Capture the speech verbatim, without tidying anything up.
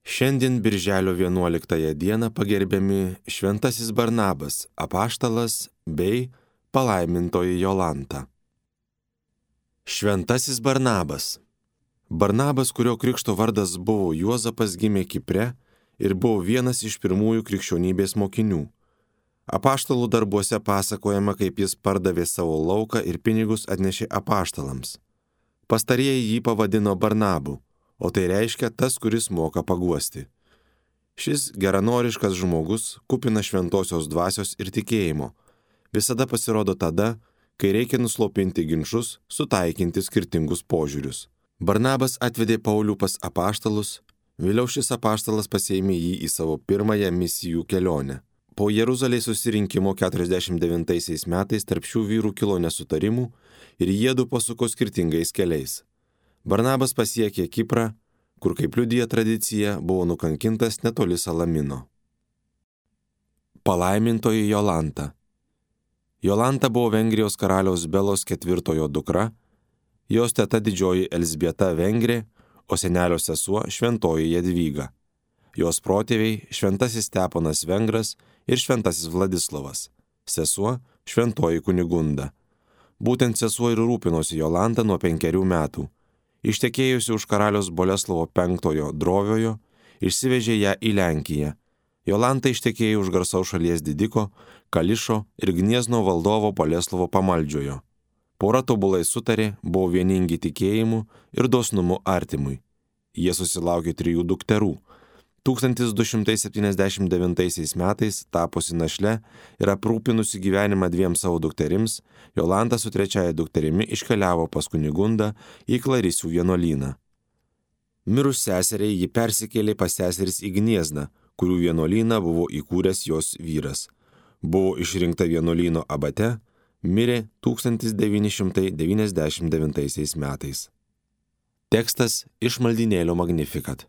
Šiandien birželio vienuoliktąją dieną pagerbiami šventasis Barnabas, apaštalas bei palaimintoji Jolanta. Šventasis Barnabas. Barnabas, kurio krikšto vardas buvo Juozapas, gimė Kipre ir buvo vienas iš pirmųjų krikščionybės mokinių. Apaštalų darbuose pasakojama, kaip jis pardavė savo lauką ir pinigus atnešė apaštalams. Pastarieji jį pavadino Barnabu, o tai reiškia tas, kuris moka paguosti. Šis geranoriškas žmogus, kupina šventosios dvasios ir tikėjimo, visada pasirodo tada, kai reikia nuslopinti ginčus, sutaikinti skirtingus požiūrius. Barnabas atvedė Paulių pas apaštalus, vėliau šis apaštalas pasiėmė jį į savo pirmąją misijų kelionę. Po Jeruzalės susirinkimo keturiasdešimt devintaisiais metais tarp šių vyrų kilo nesutarimų ir jiedu pasuko skirtingais keliais. Barnabas pasiekė Kiprą, kur, kaip liudija tradicija, buvo nukankintas netoli Salamino. Palaimintoji Jolanta. Jolanta buvo Vengrijos karaliaus Belos ketvirtojo dukra, jos teta didžioji Elzbieta Vengrė, o senelio sesuo šventoji Jadvyga. Jos protėviai šventasis Steponas Vengras ir šventasis Vladislovas, sesuo šventoji Kunigunda. Būtent sesuo ir rūpinosi Jolanta nuo penkerių metų. Ištekėjusi už karaliaus Boleslovo penktojo Droviojo, išsivežė ją į Lenkiją. Jolanta ištekėjo už garsaus šalies didiko, Kališo ir Gniezno valdovo Boleslovo Pamaldžiojo. Pora tobulai sutarė, buvo vieningi tikėjimu ir dosnumu artimui. Jie susilaukė trijų dukterų. tūkstantis du šimtai septyniasdešimt devintaisiais metais, tapusi našle ir aprūpinusi gyvenimą dviem savo dukterims, Jolanta su trečiaja dukterimi iškeliavo pas Kunigundą į Klarisių vienuolyną. Mirus seseriai ji persikėlė pas seseris į Gniezną, kurių vienuolyną buvo įkūręs jos vyras. Buvo išrinkta vienuolyno abate, mirė tūkstantis devyni šimtai devyniasdešimt devintaisiais metais. Tekstas iš maldynėlio Magnificat.